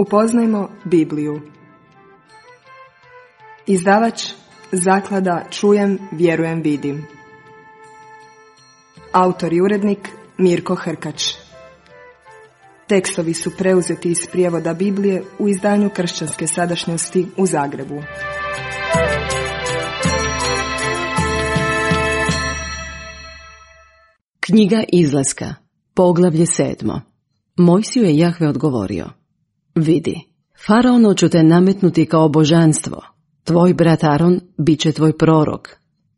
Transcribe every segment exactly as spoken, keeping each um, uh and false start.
Upoznajmo Bibliju. Izdavač Zaklada Čujem, vjerujem, vidim. Autor i urednik Mirko Hrkač. Tekstovi su preuzeti iz prijevoda Biblije u izdanju Kršćanske sadašnjosti u Zagrebu. Knjiga Izlaska, poglavlje sedmo. Mojsiju je Jahve odgovorio: Vidi, Faraonu ću te nametnuti kao božanstvo. Tvoj brat Aron bit će tvoj prorok.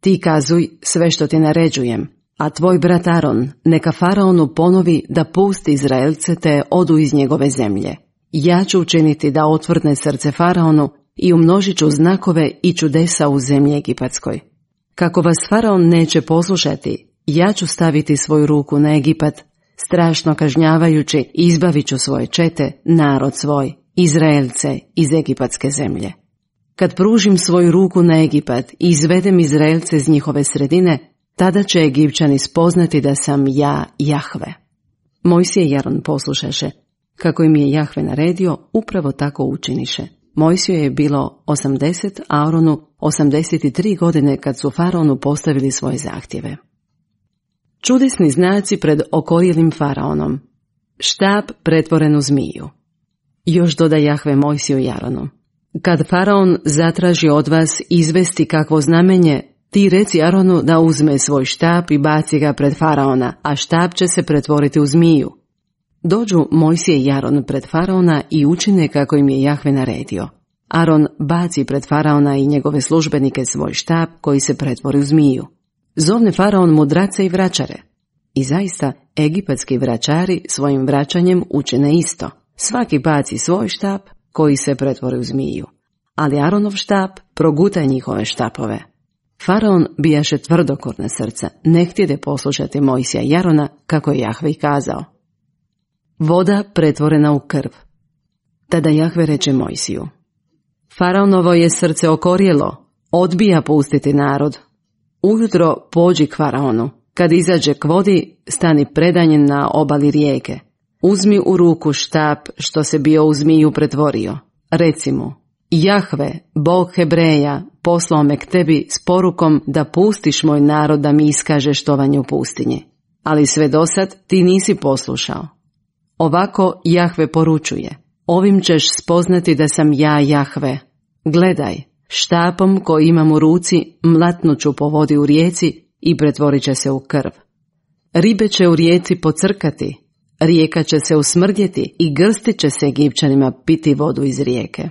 Ti kazuj sve što ti naređujem, a tvoj brat Aron neka Faraonu ponovi da pusti Izraelce te odu iz njegove zemlje. Ja ću učiniti da otvrdne srce Faraonu i umnožit ću znakove i čudesa u zemlji Egipatskoj. Kako vas Faraon neće poslušati, ja ću staviti svoju ruku na Egipat, strašno kažnjavajući izbavit ću svoje čete, narod svoj, Izraelce iz egipatske zemlje. Kad pružim svoju ruku na Egipat i izvedem Izraelce iz njihove sredine, tada će Egipćani spoznati da sam ja Jahve. Mojsije i Aron poslušaše. Kako im je Jahve naredio, upravo tako učiniše. Mojsiju je bilo osamdeset, a Aronu osamdeset tri godine kad su Faraonu postavili svoje zahtjeve. Čudesni znaci pred okorjelim Faraonom. Štap pretvoren u zmiju. Još doda Jahve Mojsiju i Aronu: Kad Faraon zatraži od vas izvesti kakvo znamenje, ti reci Aronu da uzme svoj štap i baci ga pred Faraona, a štap će se pretvoriti u zmiju. Dođu Mojsije i Aron pred Faraona i učine kako im je Jahve naredio. Aron baci pred Faraona i njegove službenike svoj štap koji se pretvori u zmiju. Zovne Faraon mudrace i vračare. I zaista, egipatski vračari svojim vraćanjem učine isto. Svaki baci svoj štap koji se pretvori u zmiju. Ali Aronov štap proguta njihove štapove. Faraon bijaše tvrdokorna srca, ne htjede poslušati Mojsija i Arona kako je Jahve i kazao. Voda pretvorena u krv. Tada Jahve reče Mojsiju: Faraonovo je srce okorjelo, odbija pustiti narod. Ujutro pođi k Faraonu, kad izađe k vodi, stani predanjen na obali rijeke. Uzmi u ruku štap što se bio u zmiju pretvorio. Reci mu: Jahve, Bog Hebreja, poslao me k tebi s porukom da pustiš moj narod da mi iskaže štovanje u pustinji. Ali sve dosad ti nisi poslušao. Ovako Jahve poručuje: Ovim ćeš spoznati da sam ja Jahve. Gledaj, štapom koji imam u ruci mlatnuću po vodi u rijeci i pretvorit će se u krv. Ribe će u rijeci pocrkati, rijeka će se usmrdjeti i grstit će se Egipćanima piti vodu iz rijeke.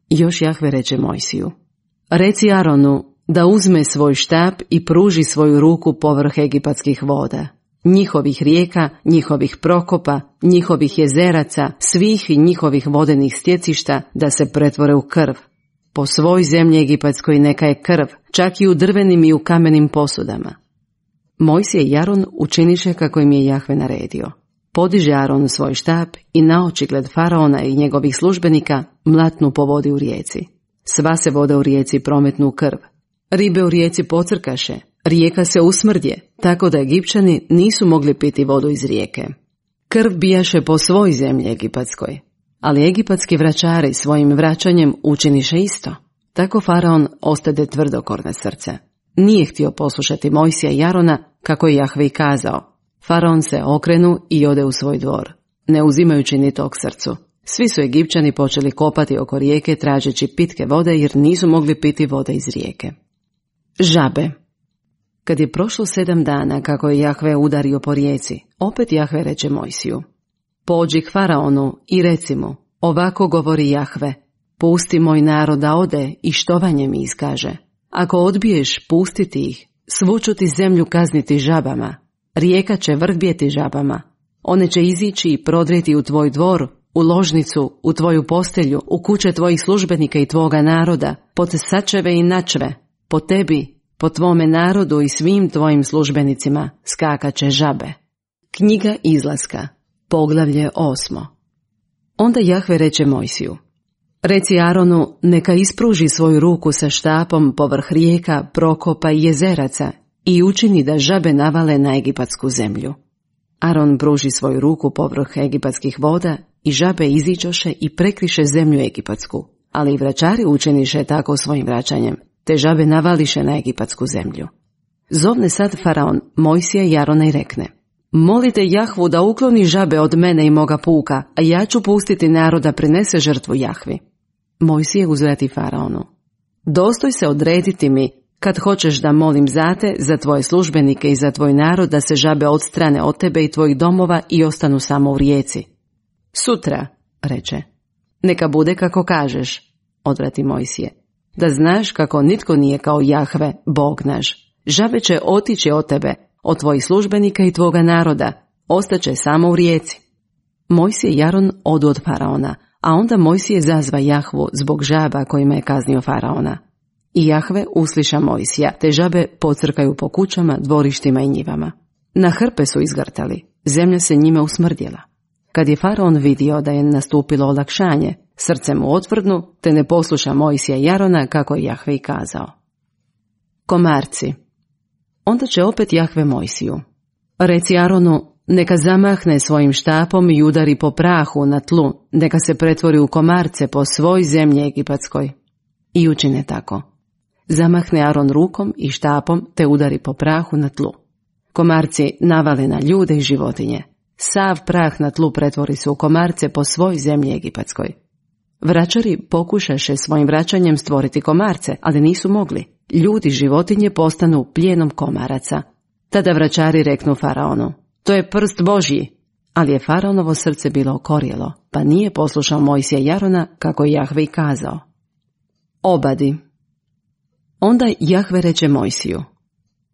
Još Jahve reče Mojsiju: Reci Aronu da uzme svoj štap i pruži svoju ruku povrh egipatskih voda, njihovih rijeka, njihovih prokopa, njihovih jezeraca, svih njihovih vodenih stjecišta da se pretvore u krv. Po svoj zemlji egipatskoj neka je krv, čak i u drvenim i u kamenim posudama. Mojsije i Aron učiniše kako im je Jahve naredio. Podiže Aron svoj štap i na očigled Faraona i njegovih službenika mlatnu po vodi u rijeci. Sva se voda u rijeci prometnu u krv. Ribe u rijeci pocrkaše, rijeka se usmrdje, tako da Egipćani nisu mogli piti vodu iz rijeke. Krv bijaše po svoj zemlji egipatskoj, ali egipatski vračari svojim vraćanjem učiniše isto. Tako Faraon ostade tvrdokorna srca. Nije htio poslušati Mojsija i Arona kako je Jahve i kazao. Faraon se okrenu i ode u svoj dvor, ne uzimajući ni tog srcu. Svi su Egipćani počeli kopati oko rijeke tražeći pitke vode jer nisu mogli piti vode iz rijeke. Žabe. Kad je prošlo sedam dana kako je Jahve udario po rijeci, opet Jahve reče Mojsiju: Pođi k Faraonu i reci mu: Ovako govori Jahve, pusti moj narod da ode i štovanje mi iskaže. Ako odbiješ pustiti ih, svu ću ti zemlju kazniti žabama. Rijeka će vrhbjeti žabama. One će izići i prodrijeti u tvoj dvor, u ložnicu, u tvoju postelju, u kuće tvojih službenika i tvoga naroda, pod sačeve i načve, po tebi, po tvome narodu i svim tvojim službenicima skakaće žabe. Knjiga Izlaska, poglavlje osmo. Onda Jahve reče Mojsiju: Reci Aronu neka ispruži svoju ruku sa štapom povrh rijeka, prokopa i jezeraca i učini da žabe navale na egipatsku zemlju. Aron pruži svoju ruku povrh egipatskih voda i žabe iziđoše i prekriše zemlju egipatsku, ali i vračari učiniše tako svojim vraćanjem, te žabe navališe na egipatsku zemlju. Zovne sad faraon Mojsija i Arona i rekne: molite Jahvu da ukloni žabe od mene i moga puka, a ja ću pustiti narod da prinese žrtvu Jahvi. Mojsije uzvrati faraonu: dostoj se odrediti mi, kad hoćeš da molim za te, za tvoje službenike i za tvoj narod, da se žabe odstrane od tebe i tvojih domova i ostanu samo u rijeci. Sutra, reče. Neka bude kako kažeš, odvrati Mojsije, da znaš kako nitko nije kao Jahve, Bog naš. Žabe će otići od tebe, od tvojih službenika i tvoga naroda, ostaće samo u rijeci. Mojsije i Aron odu od faraona, a onda Mojsije zazva Jahvu zbog žaba kojima je kaznio faraona. I Jahve usliša Mojsija, te žabe pocrkaju po kućama, dvorištima i njivama. Na hrpe su izgrtali, zemlja se njime usmrdjela. Kad je faraon vidio da je nastupilo olakšanje, srce mu otvrdnu, te ne posluša Mojsija i Arona kako je Jahve i kazao. Komarci. Onda će opet Jahve Mojsiju: reci Aronu, neka zamahne svojim štapom i udari po prahu na tlu, neka se pretvori u komarce po svoj zemlji egipatskoj. I učine tako. Zamahne Aron rukom i štapom, te udari po prahu na tlu. Komarci navale na ljude i životinje. Sav prah na tlu pretvori se u komarce po svoj zemlji egipatskoj. Vračari pokušaše svojim vraćanjem stvoriti komarce, ali nisu mogli. Ljudi i životinje postanu plijenom komaraca. Tada vračari reknu faraonu: to je prst Božji. Ali je faraonovo srce bilo okorjelo, pa nije poslušao Mojsija i Arona kako je Jahve i kazao. Obadi. Onda Jahve reče Mojsiju: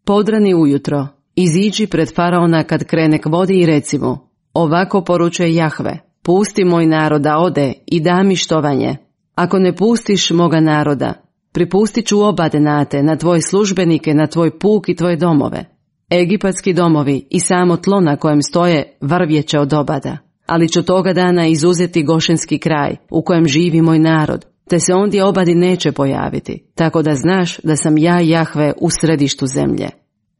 podrani ujutro, iziđi pred faraona kad krene k vodi i reci mu: ovako poručuje Jahve, pusti moj narod da ode i da mi štovanje. Ako ne pustiš moga naroda, pripustit ću obade na te, na tvoje službenike, na tvoj puk i tvoje domove. Egipatski domovi i samo tlo na kojem stoje vrvjeće od obada, ali ću toga dana izuzeti Gošenski kraj u kojem živi moj narod, te se ondje obadi neće pojaviti, tako da znaš da sam ja Jahve u središtu zemlje.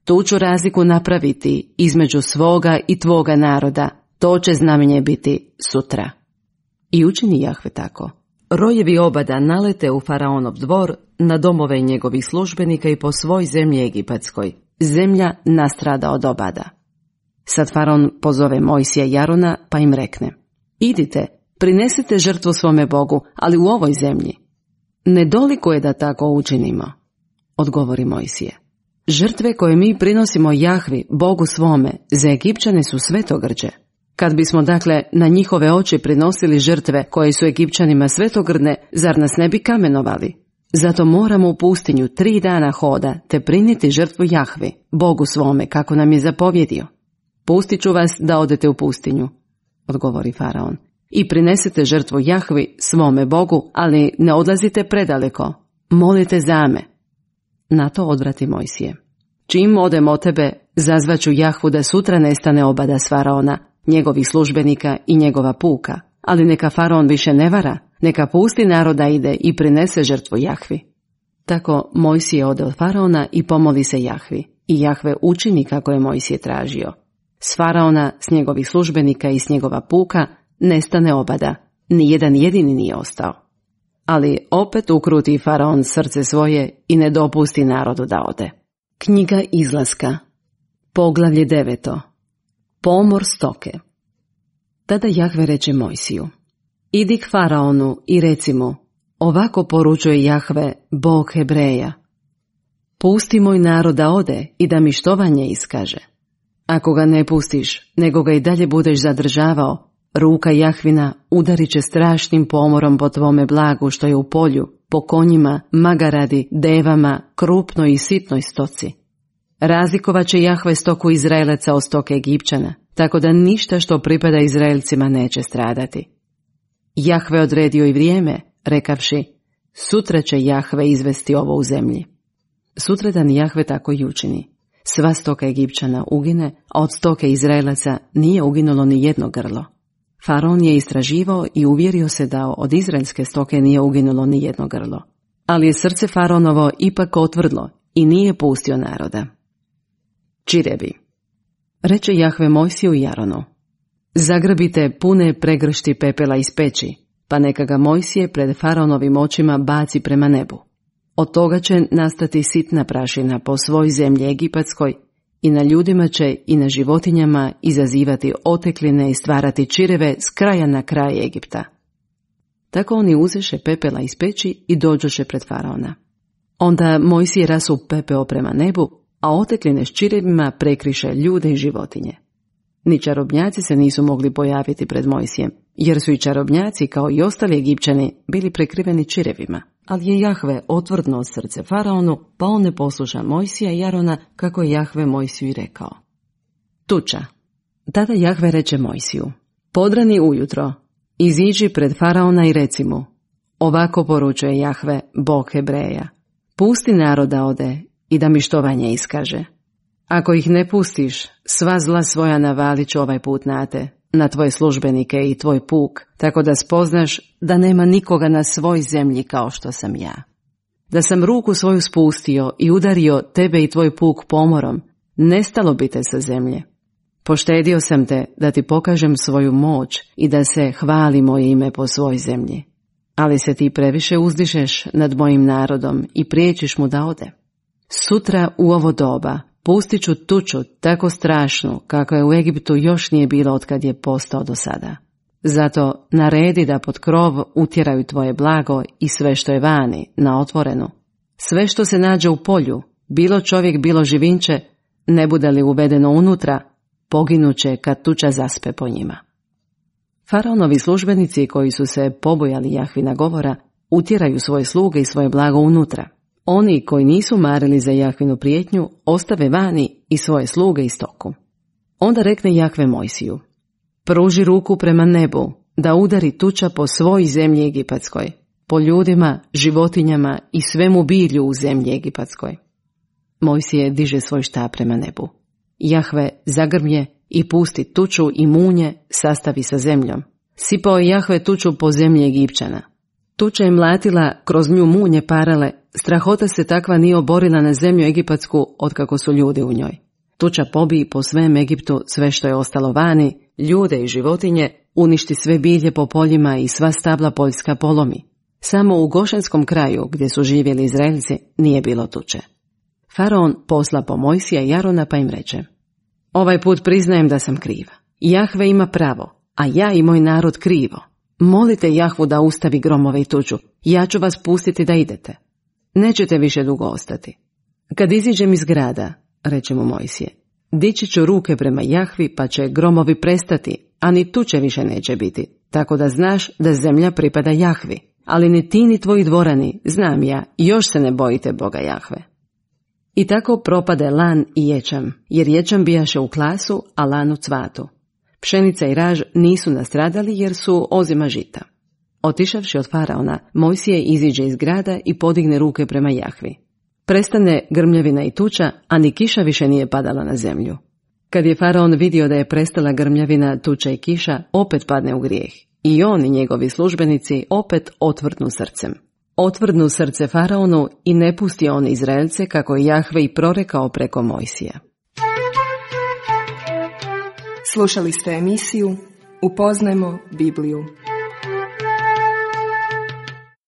Tu ću razliku napraviti između svoga i tvoga naroda, to će znamenje biti sutra. I učini Jahve tako. Rojevi obada nalete u faraonov dvor, na domove njegovih službenika i po svoj zemlji egipatskoj. Zemlja nastrada od obada. Sad faraon pozove Mojsija i Arona pa im rekne: idite, prinesite žrtvu svome Bogu, ali u ovoj zemlji. Nedoliko je da tako učinimo, odgovori Mojsije. Žrtve koje mi prinosimo Jahvi, Bogu svome, za Egipćane su svetogrđe. Kad bismo dakle na njihove oči prinosili žrtve koje su Egipćanima svetogrdne, zar nas ne bi kamenovali? Zato moramo u pustinju tri dana hoda te prinijeti žrtvu Jahvi, Bogu svome, kako nam je zapovjedio. Pustit ću vas da odete u pustinju, odgovori faraon, i prinesete žrtvu Jahvi, svome Bogu, ali ne odlazite predaleko, molite za me. Na to odvrati Mojsije: čim odem od tebe, zazvaću Jahvu da sutra nestane obada s faraona, njegovih službenika i njegova puka, ali neka faraon više ne vara, neka pusti naroda ide i prinese žrtvu Jahvi. Tako Mojsije ode od faraona i pomoli se Jahvi, i Jahve učini kako je Mojsije tražio. S faraona, s njegovih službenika i s njegova puka nestane obada, ni jedan jedini nije ostao. Ali opet ukruti faraon srce svoje i ne dopusti narodu da ode. Knjiga Izlaska, poglavlje deveto. Pomor stoke. Tada Jahve reče Mojsiju: idi k faraonu i reci mu: ovako poručuje Jahve, Bog Hebreja. Pusti moj narod da ode i da mi štovanje iskaže. Ako ga ne pustiš, nego ga i dalje budeš zadržavao, ruka Jahvina udarit će strašnim pomorom po tvome blagu što je u polju, po konjima, magaradi, devama, krupnoj i sitnoj stoci. Razlikovat će Jahve stoku Izraelaca od stoke Egipćana, tako da ništa što pripada Izraelcima neće stradati. Jahve odredio i vrijeme, rekavši: sutra će Jahve izvesti ovo u zemlji. Sutradan Jahve tako i učini. Sva stoka Egipćana ugine, a od stoke Izraelaca nije uginulo ni jedno grlo. Faraon je istraživao i uvjerio se da od izraelske stoke nije uginulo ni jedno grlo. Ali je srce faraonovo ipak otvrdlo i nije pustio naroda. Čirebi. Reče Jahve Mojsiju i Aronu: Zagrabite pune pregršti pepela iz peći, pa neka ga Mojsije pred faraonovim očima baci prema nebu. Od toga će nastati sitna prašina po svoj zemlji egipatskoj i na ljudima će i na životinjama izazivati otekline i stvarati čireve s kraja na kraj Egipta. Tako oni uzeše pepela iz peći i dođoše pred faraona. Onda Mojsije rasu pepeo prema nebu, a otekline s čirevima prekriše ljude i životinje. Ni čarobnjaci se nisu mogli pojaviti pred Mojsijem, jer su i čarobnjaci, kao i ostali Egipćani, bili prekriveni čirevima. Ali je Jahve otvrdnuo srce faraonu, pa on ne posluša Mojsija i Arona, kako je Jahve Mojsiju i rekao. Tuča. Tada Jahve reče Mojsiju, podrani ujutro, iziđi pred faraona i reci mu, ovako poručuje Jahve, Bog Hebreja, pusti naroda ode i da mi štovanje iskaže. Ako ih ne pustiš, sva zla svoja navalit ću ovaj put na te, na tvoje službenike i tvoj puk, tako da spoznaš da nema nikoga na svoj zemlji kao što sam ja. Da sam ruku svoju spustio i udario tebe i tvoj puk pomorom, nestalo bi te sa zemlje. Poštedio sam te da ti pokažem svoju moć i da se hvali moje ime po svoj zemlji. Ali se ti previše uzdišeš nad mojim narodom i priječiš mu da ode. Sutra u ovo doba pustit ću tuču tako strašnu kako je u Egiptu još nije bilo otkad je postao do sada. Zato naredi da pod krov utjeraju tvoje blago i sve što je vani, na otvorenu. Sve što se nađe u polju, bilo čovjek, bilo živinče, ne bude li uvedeno unutra, poginuće kad tuča zaspe po njima. Faraonovi službenici koji su se pobojali Jahvina govora, utjeraju svoje sluge i svoje blago unutra. Oni koji nisu marili za Jahvinu prijetnju, ostave vani i svoje sluge i stoku. Onda rekne Jahve Mojsiju, pruži ruku prema nebu, da udari tuča po svoj zemlji egipatskoj, po ljudima, životinjama i svemu bilju u zemlji egipatskoj. Mojsije diže svoj štap prema nebu. Jahve zagrmje i pusti tuču i munje sastavi sa zemljom. Sipao je Jahve tuču po zemlji Egipćana. Tuča je mlatila, kroz nju munje parale, strahota se takva nije oborila na zemlju egipatsku otkako su ljudi u njoj. Tuča pobiji po svem Egiptu sve što je ostalo vani, ljude i životinje, uništi sve bilje po poljima i sva stabla poljska polomi. Samo u Gošenskom kraju, gdje su živjeli Izraelci, nije bilo tuče. Faraon posla po Mojsija i Arona pa im reče, ovaj put priznajem da sam kriva. Jahve ima pravo, a ja i moj narod krivo. Molite Jahvu da ustavi gromove i tuču, ja ću vas pustiti da idete. Nećete više dugo ostati. Kad iziđem iz grada, reče mu Mojsije, dići ću ruke prema Jahvi pa će gromovi prestati, a ni tuče više neće biti, tako da znaš da zemlja pripada Jahvi, ali ni ti ni tvoji dvorani, znam ja, još se ne bojite Boga Jahve. I tako propade lan i ječam, jer ječam bijaše u klasu, a lan u cvatu. Pšenica i raž nisu nastradali jer su ozima žita. Otišavši od faraona, Mojsije iziđe iz grada i podigne ruke prema Jahvi. Prestane grmljavina i tuča, a ni kiša više nije padala na zemlju. Kad je faraon vidio da je prestala grmljavina, tuča i kiša, opet padne u grijeh. I on i njegovi službenici opet otvrdnu srcem. Otvrdnu srce faraonu i ne pusti on Izraelce kako je Jahve i prorekao preko Mojsija. Slušali ste emisiju Upoznajmo Bibliju.